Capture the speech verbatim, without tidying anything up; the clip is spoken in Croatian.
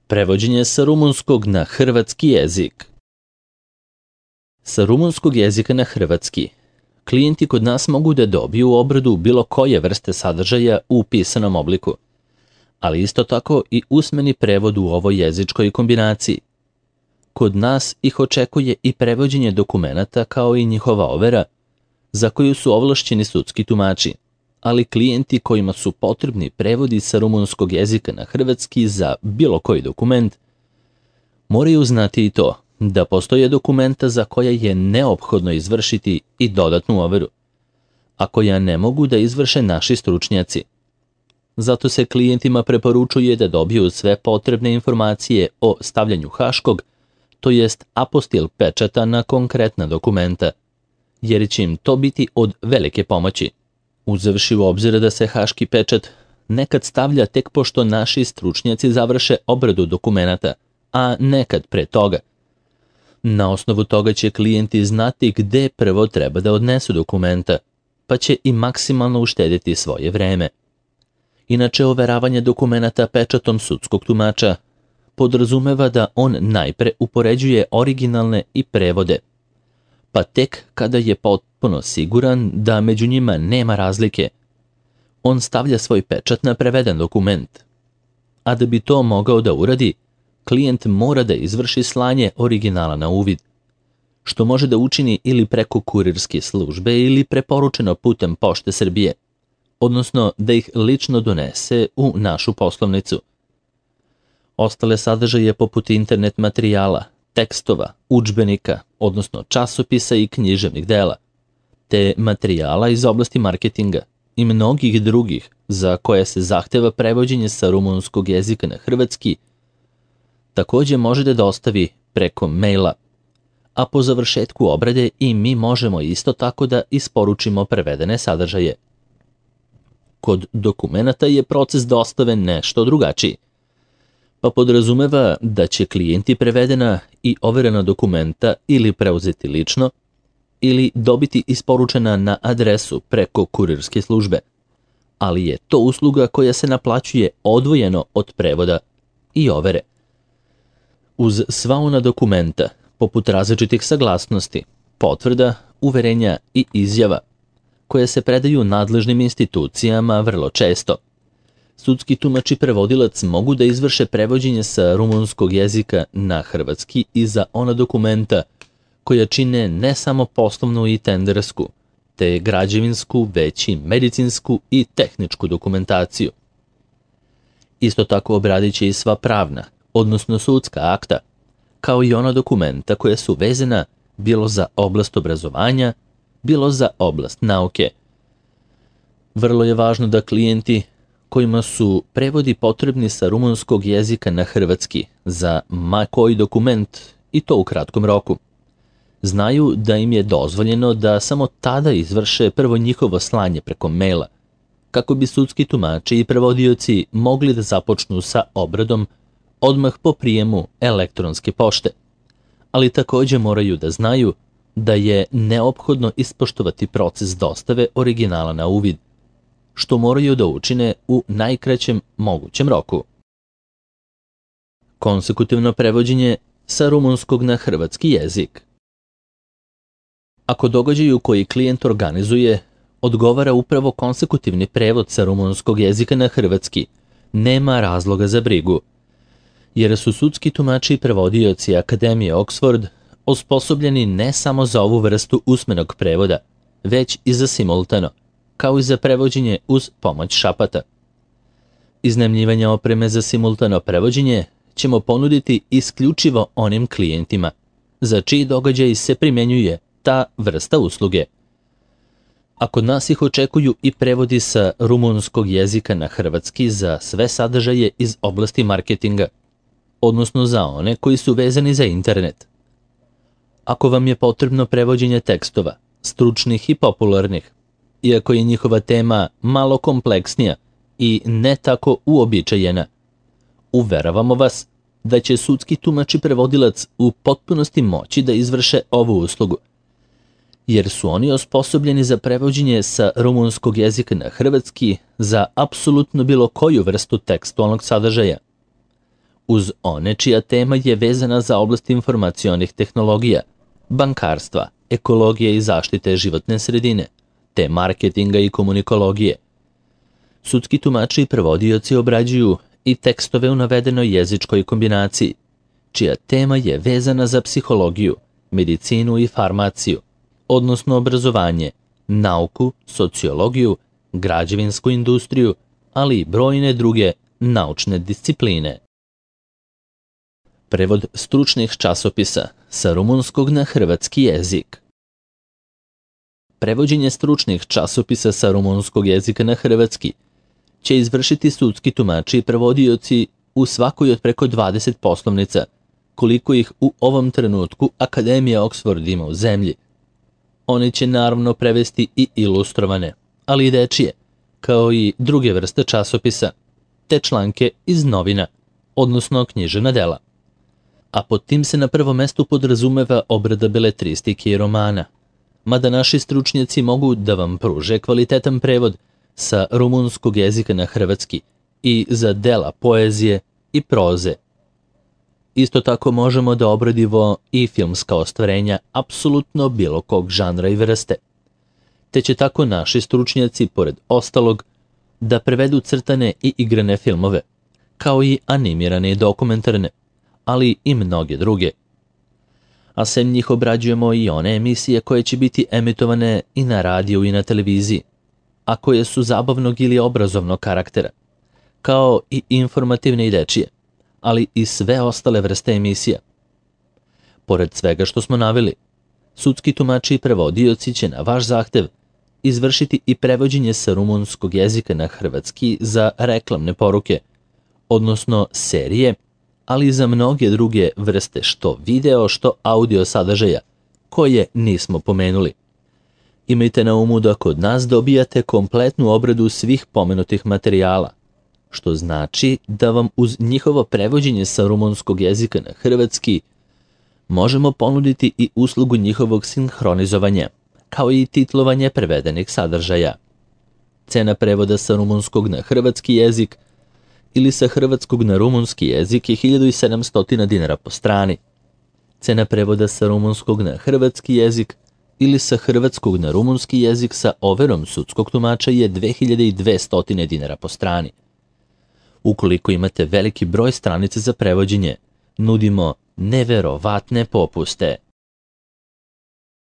Prevođenje sa rumunskog na hrvatski jezik. Sa rumunskog jezika na hrvatski klijenti kod nas mogu da dobiju obradu bilo koje vrste sadržaja u pisanom obliku, ali isto tako i usmeni prevod u ovoj jezičkoj kombinaciji. Kod nas ih očekuje i prevođenje dokumenata kao i njihova overa, za koju su ovlašćeni sudski tumači, ali klijenti kojima su potrebni prevodi sa rumunskog jezika na hrvatski za bilo koji dokument, moraju znati i to da postoje dokumenta za koja je neophodno izvršiti i dodatnu overu, a koja ne mogu da izvrše naši stručnjaci. Zato se klijentima preporučuje da dobiju sve potrebne informacije o stavljanju haškog, to jest apostil pečata na konkretna dokumenta, jer će im to biti od velike pomoći, uzevši u obzir da se haški pečat nekad stavlja tek pošto naši stručnjaci završe obradu dokumenata, a nekad pre toga. Na osnovu toga će klijenti znati gde prvo treba da odnesu dokumenta, pa će i maksimalno uštediti svoje vreme. Inače, overavanje dokumenata pečatom sudskog tumača podrazumeva da on najpre upoređuje originalne i prevode, pa tek kada je potpuno siguran da među njima nema razlike, on stavlja svoj pečat na preveden dokument. A da bi to mogao da uradi, klijent mora da izvrši slanje originala na uvid, što može da učini ili preko kurirske službe ili preporučeno putem Pošte Srbije, odnosno da ih lično donese u našu poslovnicu. Ostale sadržaje poput internet materijala, tekstova, udžbenika, odnosno časopisa i književnih dela, te materijala iz oblasti marketinga i mnogih drugih za koje se zahteva prevođenje sa rumunskog jezika na hrvatski, takođe može da dostavi preko maila, a po završetku obrade i mi možemo isto tako da isporučimo prevedene sadržaje. Kod dokumenata je proces dostave nešto drugačiji, pa podrazumeva da će klijenti prevedena i overena dokumenta ili preuzeti lično, ili dobiti isporučena na adresu preko kurirske službe, ali je to usluga koja se naplaćuje odvojeno od prevoda i overe. Uz sva ona dokumenta, poput različitih saglasnosti, potvrda, uverenja i izjava, koje se predaju nadležnim institucijama vrlo često, sudski tumač i prevodilac mogu da izvrše prevođenje sa rumunskog jezika na hrvatski i za ona dokumenta koja čine ne samo poslovnu i tendersku, te građevinsku, već i medicinsku i tehničku dokumentaciju. Isto tako obradit će i sva pravna, odnosno sudska akta, kao i ona dokumenta koja su vezana bilo za oblast obrazovanja, bilo za oblast nauke. Vrlo je važno da klijenti kojima su prevodi potrebni sa rumunskog jezika na hrvatski za ma koji dokument, i to u kratkom roku, znaju da im je dozvoljeno da samo tada izvrše prvo njihovo slanje preko maila, kako bi sudski tumači i prevodioci mogli da započnu sa obradom odmah po prijemu elektronske pošte, ali takođe moraju da znaju da je neophodno ispoštovati proces dostave originala na uvid, što moraju da učine u najkraćem mogućem roku. Konsekutivno prevođenje sa rumunskog na hrvatski jezik. Ako događaju koji klijent organizuje odgovara upravo konsekutivni prevod sa rumunskog jezika na hrvatski, nema razloga za brigu, jer su sudski tumači i prevodioci Akademije Oxford osposobljeni ne samo za ovu vrstu usmenog prevoda, već i za simultano, kao i za prevođenje uz pomoć šapata. Iznajmljivanje opreme za simultano prevođenje ćemo ponuditi isključivo onim klijentima za čiji događaj se primjenjuje ta vrsta usluge. A kod nas ih očekuju i prevodi sa rumunskog jezika na hrvatski za sve sadržaje iz oblasti marketinga, odnosno za one koji su vezani za internet. Ako vam je potrebno prevođenje tekstova, stručnih i popularnih, iako je njihova tema malo kompleksnija i ne tako uobičajena, uveravamo vas da će sudski tumač i prevodilac u potpunosti moći da izvrše ovu uslugu, jer su oni osposobljeni za prevođenje sa rumunskog jezika na hrvatski za apsolutno bilo koju vrstu tekstualnog sadržaja. uz one čija tema je vezana za oblast informacionih tehnologija, bankarstva, ekologije i zaštite životne sredine, te marketinga i komunikologije. Sudski tumači i prevodioci obrađuju i tekstove u navedenoj jezičkoj kombinaciji, čija tema je vezana za psihologiju, medicinu i farmaciju, odnosno obrazovanje, nauku, sociologiju, građevinsku industriju, ali i brojne druge naučne discipline. Prevod stručnih časopisa sa rumunskog na hrvatski jezik. Prevođenje stručnih časopisa sa rumunskog jezika na hrvatski će izvršiti sudski tumači i prevodioci u svakoj od preko dvadeset poslovnica, koliko ih u ovom trenutku Akademija Oxford ima u zemlji. Oni će naravno prevesti i ilustrovane, ali i dečije, kao i druge vrste časopisa, te članke iz novina, odnosno književna dela. A pod tim se na prvom mestu podrazumeva obrada beletristike i romana, mada naši stručnjaci mogu da vam pruže kvalitetan prevod sa rumunskog jezika na hrvatski i za dela poezije i proze. Isto tako možemo da obradimo i filmska ostvarenja apsolutno bilo kog žanra i vrste. Te će tako naši stručnjaci, pored ostalog, da prevedu crtane i igrane filmove, kao i animirane i dokumentarne, ali i mnoge druge. A sem njih obrađujemo i one emisije koje će biti emitovane i na radiju i na televiziji, a koje su zabavnog ili obrazovnog karaktera, kao i informativne i dečije, ali i sve ostale vrste emisija. Pored svega što smo naveli, sudski tumači i prevodioci će na vaš zahtev izvršiti i prevođenje sa rumunskog jezika na hrvatski za reklamne poruke, odnosno serije, ali i za mnoge druge vrste što video, što audio sadržaja, koje nismo pomenuli. Imajte na umu da kod nas dobijate kompletnu obradu svih pomenutih materijala, što znači da vam uz njihovo prevođenje sa rumunskog jezika na hrvatski možemo ponuditi i uslugu njihovog sinhronizovanja, kao i titlovanje prevedenih sadržaja. Cena prevoda sa rumunskog na hrvatski jezik ili sa hrvatskog na rumunski jezik je hiljadu sedamsto dinara po strani. Cena prevoda sa rumunskog na hrvatski jezik ili sa hrvatskog na rumunski jezik sa overom sudskog tumača je dve hiljade dvesta dinara po strani. Ukoliko imate veliki broj stranica za prevođenje, nudimo neverovatne popuste.